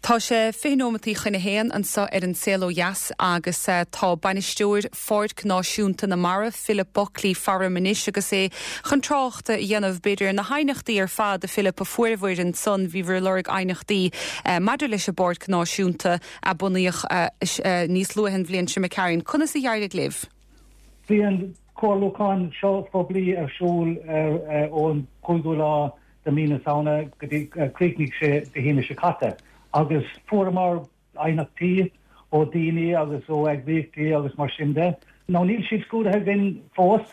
Tá sé 20 nóimeataí chun a haon anseo ar An Saol Ó Dheas agus tá Bainisteoir Pháirc Náisiúnta na Mara, Philip Buckley, faram anois agus é chun trácht a dhéanamh, b'fhéidir, ar na haighneachtaí ar fad, a Philip, a fuaireabhair ansan. Bhíobhair ag lorg aighneachtaí maidir leis an bPáirc Náisiúnta a bunaíodh níos luaithe an bhliain seo imigh tharainn. Conas a d'éirigh libh? Bhí an comhairliúchán seo phoiblí ar siúl ón 5ú lá de mí na Samhna go dtí chríochnaigh sé Dé hAoine seo caite agus fuaireamar aighneachtaí ó daoine agus ó eagraíochtaí agus mar sin de. Now níl siad scrúdaithe againn fós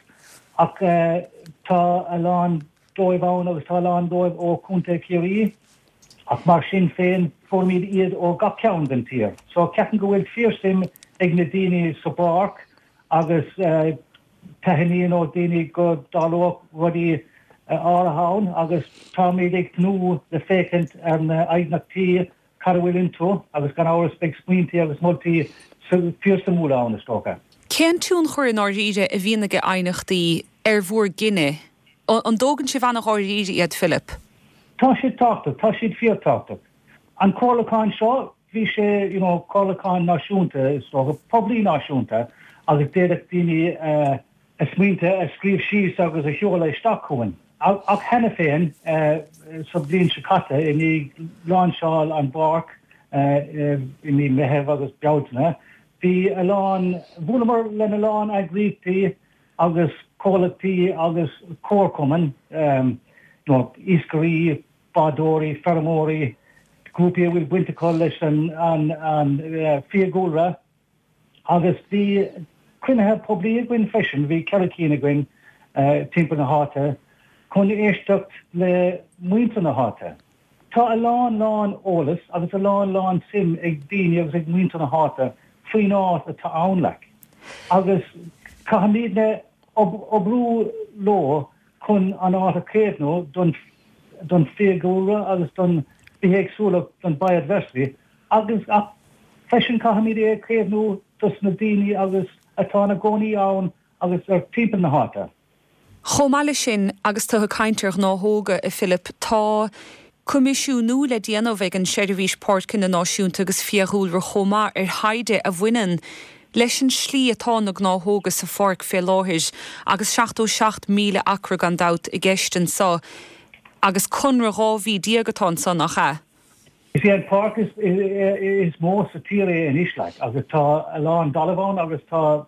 ach tá a lán dóibh ann agus tá a lán dóibh ó Chontae Chiarraí ach mar sin féin fuairimid iad ó gach ceann den tír. So ceapaim go bhfuil fíorsuim ag na daoine sa bpáirc agus Taitníonn ó daoine go dtarlódh rudaí áirithe ann agus táimid ag tnúth le féachaint ar na aighneachtaí, cad a bhfuil iontu agus gan amhras beidh smaointí agus moltaí fíorsuimiúla ann is dócha. Cén tionchar i ndáiríre a bhíonn ag aighneachtaí ar bhur gcinneadh? An dtógann sibh an-dháiríre iad, Philip? Tá siad tábhachtach, tá siad fíortábhachtach. An comhairliúchán seo, bhí sé, you know, comhairliúchán náisiúnta, is dócha, poiblí náisiúnta agus d'fhéadfadh daoine a smaointe a scríobh síos agus a sheoladh isteach chugainn. Ach cheana féin, sa bhliain seo caite, i ndiaidh láinseáil an pháirc i mí Meitheamh agus Bealtaine, bhí a lán, bhuaileamar lena lán eagraíochtaí agus comhlachtaí agus comharchumainn, you know, iascairí, bádóirí, feirmeoirí, grúpaí a bhfuil baint acu leis an fiadhúlra agus bhí cruinnithe poiblí againn freisin, bhí 4 cinn againn timpeall na háite chun éisteacht le muintir na háite. Tá a lán lán eolas agus a lán lán suim ag daoine agus ag muintir na háite faoin áit atá ann like agus caithfimidne oibriú leo chun an áit a chaomhnú don fiadhúlra agus don bithéagsúlacht, don biodiversity, agus ach freisin caithfimid é a chaomhnú dos na daoine agus atá ina gcónaí ann agus ar timpeall na háite. Chomh maith leis sin, agus tú ag caint ar ghnáthóga, a Philip, tá coimisiúnú le déanamh ag an Seirbhís Páirceanna Náisiúnta agus Fiadhúlra chomh maith ar thaighde a bhaineann leis an slí atá na gnáthóga sa pháirc fé láthair agus 77,000 acra gan dabht i gceist anso agus conradh 12 mhí atá anso, nach ea? Is é an pháirc is mó sa tír é anois like agus tá a lán dtalamh ann agus tá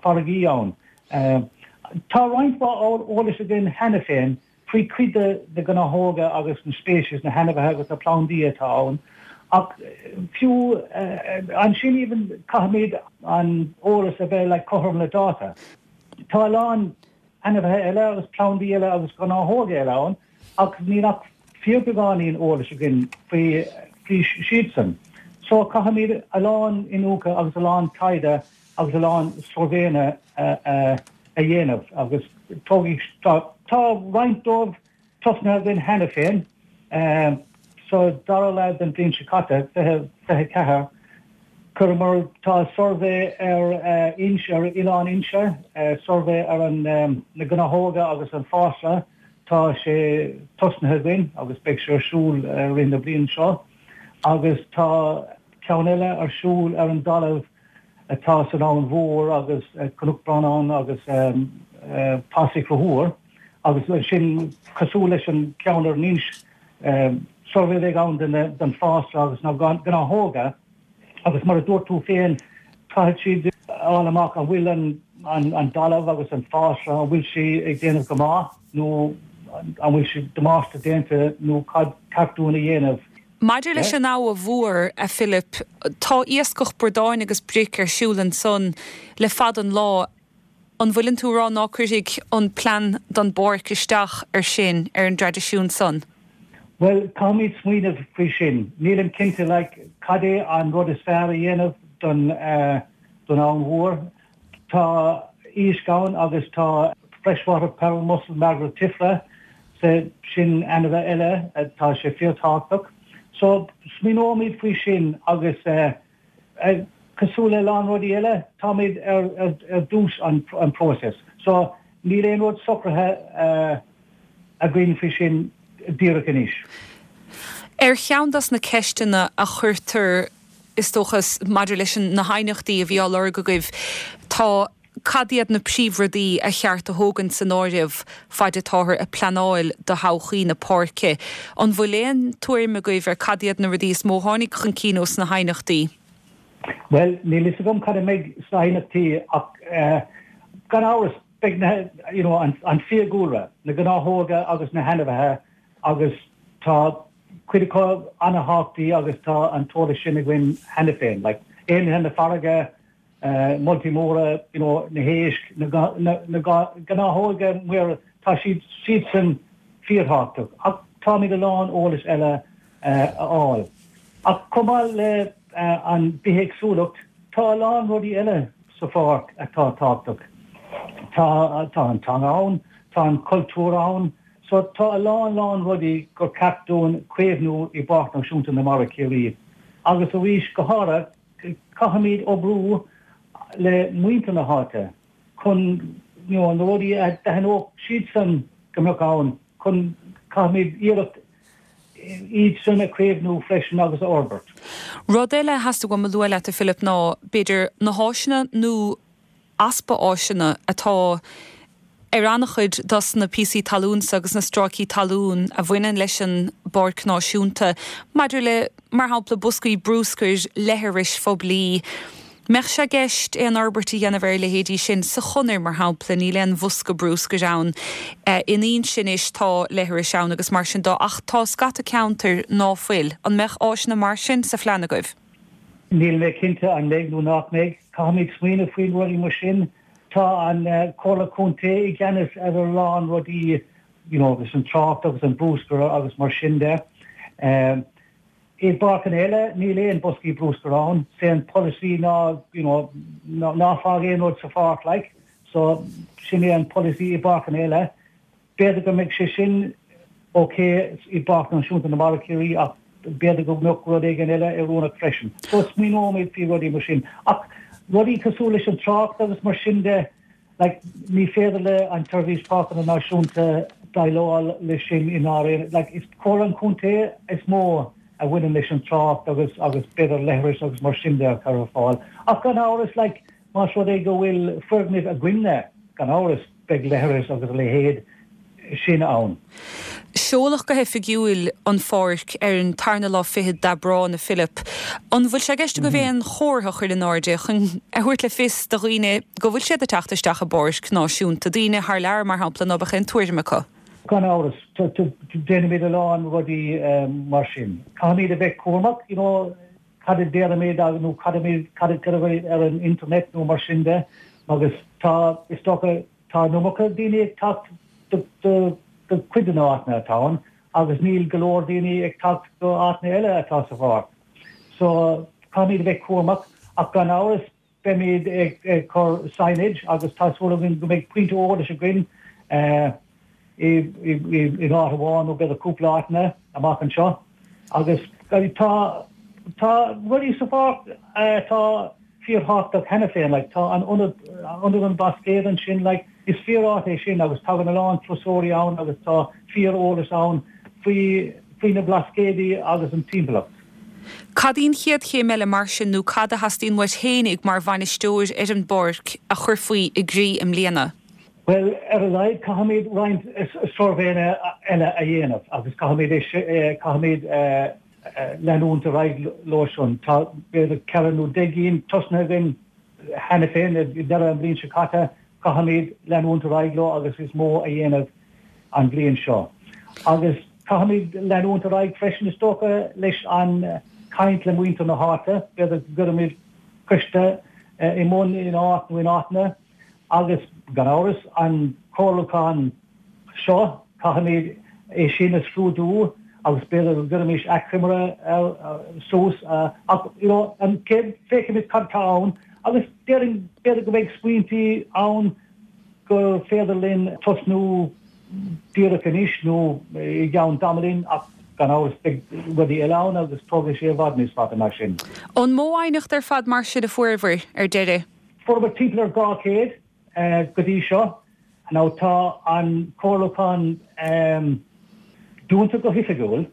farraigí ann. Tá roinnt mhaith eolais againn cheana féin faoi chuid de na gnáthóga agus na speicis, na hainmhithe agus na plandaí atá ann, ach fiú ansin even caithfimid an eolas a bheith like cothrom le dáta. Tá a lán ainmhithe eile agus plandaí eile agus gnáthóga eile ann ach níl ach fíorbeagáinín eolais againn faoi faoi siadsan. So caithfimid a lán iniúchadh agus a lán taighde agus a lán suirbhéanna a dhéanamh agus tógfaidh, tá roinnt dóibh tosnaithe againn cheana féin. Sa dara leath den bhliain seo caite, 2024, chuireamar, tá suirbhé ar Inse, ar Oileán Inse, suirbhé ar an na gnáthóga agus an fásra, tá sé tosnaithe againn agus beidh sé ar siúl i rith na bliana seo agus tá ceann eile ar siúl ar an dtalamh atá san Abhainn Mhór agus Cnoc Bhrannáin agus Pasach Chonchúir agus sin cosúil leis an ceann ar an Inse, suirbhé a bheidh ann den fásra agus na gnáthóga agus mar a dúirt tú féin caithfidh siad a fháil amach an bhfuil an talamh agus an fásra, an bhfuil sé ag déanamh go maith nó an bhfuil sé damáiste déanta nó cad ceart dúinn a dhéanamh. Maidir leis an Abha Mhór, a Philip, tá iascach bradáin agus bric ar siúl ansan le fada an lá. An bhfuileann tú a rá ná cuirfidh an plean don bpáirc isteach ar sin, ar an dtraidisiún san? Bhuel, caithfimid smaoineamh faoi sin. Nílim cinnte like cad é an rud is fearr a dhéanamh don don Abhainn Mhór. Tá iasc ann agus tá freshwater pearl mussel margaritifera, sin ainmhithe eile, tá sé fíorthábhachtach. So, smaoineoimid faoi sin agus cosúil le a lán rudaí eile, táimid ar dtús an próiseas. So, níl aon rud socraithe againn faoi sin díreach anois. Ar cheann dos na ceisteanna a chuirtear, is dócha, maidir leis na haighneachtaí a bhí á lorg agaibh, tá, cad iad na príomhrudaí a cheart a thógaint san áireamh faid atáthar ag pleanáil do thodhchaí na páirce? An bhfuil aon tuairim agaibh ar cad iad na rudaí is mó a tháinig chun cinn ós na haighneachtaí? Bhuel, níl fhios agam cad a mbeidh sna haighneachtaí ach gan amhras beidh na, you know, an fiadhúlra, na gnáthóga agus na hainmhithe agus tá cuid acu an-thábhachtach agus tá an t-eolas sin againn cheana féin, like éanlaithe na farraige, moltaí móra, you know, na héisc, na gnáthóga muirí, tá siad siadsan fíorthábhachtach ach táimid a lán eolais eile a fháil. Ach chomh maith le an bithéagsúlacht, tá a lán rudaí eile sa pháirc atá tábhachtach. Tá tá an teanga ann, tá an cultúr ann, so tá a lán lán rudaí gur ceart dúinn caomhnú i bPáirc Náisiúnta na Mara Ciarraí. Agus arís, go háirithe, Caithfimid oibriú le muintir na háite chun you know na rudaí a d'aithneodh siadsan go mbeadh ann chun caithfimid iarracht iad sin a chaomhnú freisin agus a fhorbairt. Rud eile a theastaigh uaim a lua leat a Philip ná b'fhéidir na háiseanna nó easpa áiseanna atá ar an-chuid dos na píosaí talún so agus na stráicí talún a bhaineann leis an bPáirc Náisiúnta maidir le, mar shampla, boscaí brúscair, leithris phoiblí. Mbeadh sé i gceist aon fhorbairt a dhéanamh ar a leithéidí sin? Sa Chonair, mar shampla, níl aon bhosca brúscair ann. In Inse anois tá leithris ann agus mar sin de ach tá scata ceantair ná fuil. An mbeadh áiseanna mar sin sa phlean agaibh? Níl mé cinnte an mbeidh nó nach mbeidh. Caithfimid smaoineamh faoi rudaí mar sin. Tá an Comhairle Contae i gceannas ar a lán rudaí you know agus an trácht agus an brúscar agus mar sin de. I bpáirceanna eile níl aon boscaí brúscair ann. Is é an polasaí ná you know ná fág aon rud sa pháirc like. So sin é an polasaí i bpáirceanna eile. B'fhéidir go mbeidh sé sin ok i bPáirc Náisiúnta na Mara Ciarraí ach b'fhéidir go mbeadh rud éigin eile oiriúnach freisin. So smaoineoimid faoi rudaí mar sin. Ach rudaí cosúil leis an trácht agus mar sin de, like, ní féidir le an tSeirbhís Páirceanna Náisiúnta déileáil leis sin i ndáiríre. Like, is Comhairle an Chontae is mó a bhaineann leis an trácht agus agus b'fhéidir leithris agus mar sin de a chur ar fáil. Ach gan amhras, like, Más rud é go bhfuil foirgnimh againne, gan amhras, beidh leithris agus a leithéid sin ann. Seoladh go hoifigiúil an pháirc ar an tarna lá fichead d'Aibreán, a Philip. An bhfuil sé i gceist agaibh aon chomhartha a chur in airde chun a thabhairt le fios do dhaoine go bhfuil siad ag teacht isteach i bpáirc náisiúnta, daoine thar lear, mar shampla, ná beadh aon tuairim acu? Gan amhras, déanfaimid a lán rudaí mar sin. Caithfimid a bheith cúramach, you know, cad a déarfaimid nó cad a cad a cuirfimid ar an internet nó mar sin de agus tá, is dócha, tá an iomarca daoine ag teacht do do do cuid de na áiteanna atá ann agus níl go leor daoine ag teacht go áiteanna eile atá sa pháirc. So caithfimid a bheith cúramach ach gan amhras Beimid ag cur signage agus tá súil againn go mbeidh pointe eolais againn in áit amháin nó b'fhéidir cúpla áiteanna amach anseo agus tá tá rudaí sa pháirc atá fíorthábhachtach cheana féin like tá an ionad Ionad an Bhlascaoid ansin like is fíor-áit é sin agus tagann a lán turasóirí ann agus tá fíor-eolas ann faoi faoi na Blascaodaí agus an timpeallacht. Cad í an chéad chéim eile mar sin nó cad a theastaíonn uait fhéinig mar bhainisteoir ar an bpáirc a chuirfí i gcrích i mbliana? Bhuel, ar a laghad caithfimid roinnt suirbhéanna eile a dhéanamh agus caithfimid caithfimid leanúint ar aghaidh leo sin. Tá b'fhéidir ceithre nó 10 gcinn tosnaithe againn cheana féin i ndeireadh an bhliain seo caite. Caithfimid leanúint ar aghaidh leo agus níos mó a dhéanamh an bhliain seo. Agus caithfimid leanúint ar aghaidh freisin, is dócha, leis an caint le muintir na háite, b'fhéidir go gcuirfimid coiste i mbun in áit nó in áiteanna agus, gan amhras, an comhairliúchán seo, caithfimid é sin a scrúdú agus b'fhéidir go gcuirfimis achoimre suas ach, you know, an chéad, féachfaimid cad atá ann agus déarfainn, b'fhéidir go mbeidh smaointí ann gur féidir linn tosnú díreach anois nó i gceann tamaillín ach gan amhras beidh rudaí eile ann agus tógfaidh sé i bhfad níos fada ná sin. An mó aighneacht ar fad mar sin a fuaireabhair ar deireadh? Fuaireamar timpeall ar 200 go dtí seo. Now tá an comhairliúchán dúnta go hoifigiúil.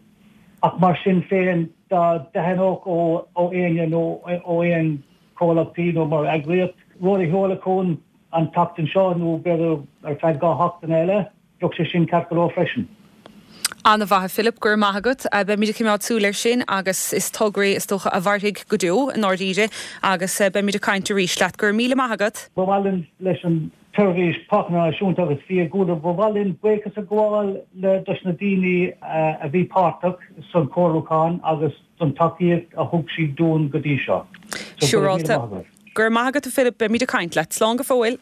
Ach mar sin féin, dá dteastódh ó éinne nó ó aon chomhlachtaí nó mar eagraíocht rud a sheoladh chugainn an tseachtain seo nó b'fhéidir ar feadh 2 sheachtaine eile, bheadh sé sin ceart go leor freisin. An-mhaith a Philip, go raibh maith agat. Beimid ag coimeád súil air sin agus is togra é is dócha a mhairfidh go deo i ndáiríre agus beimid ag caint arís leat. Go raibh míle maith agat. Ba mhaith linn leis an tSeirbhís Páirceanna Náisiúnta agus Fiadhúlra, ba mhaith linn buíochas a ghabháil le dos na daoine a bhí páirteach san chomhairliúchán agus don tacaíocht a thug siad dúinn go dtí seo. So, go raibh míle maith agat. Go raibh maith agat a Philip, beimid ag caint leat. Slán go fóill.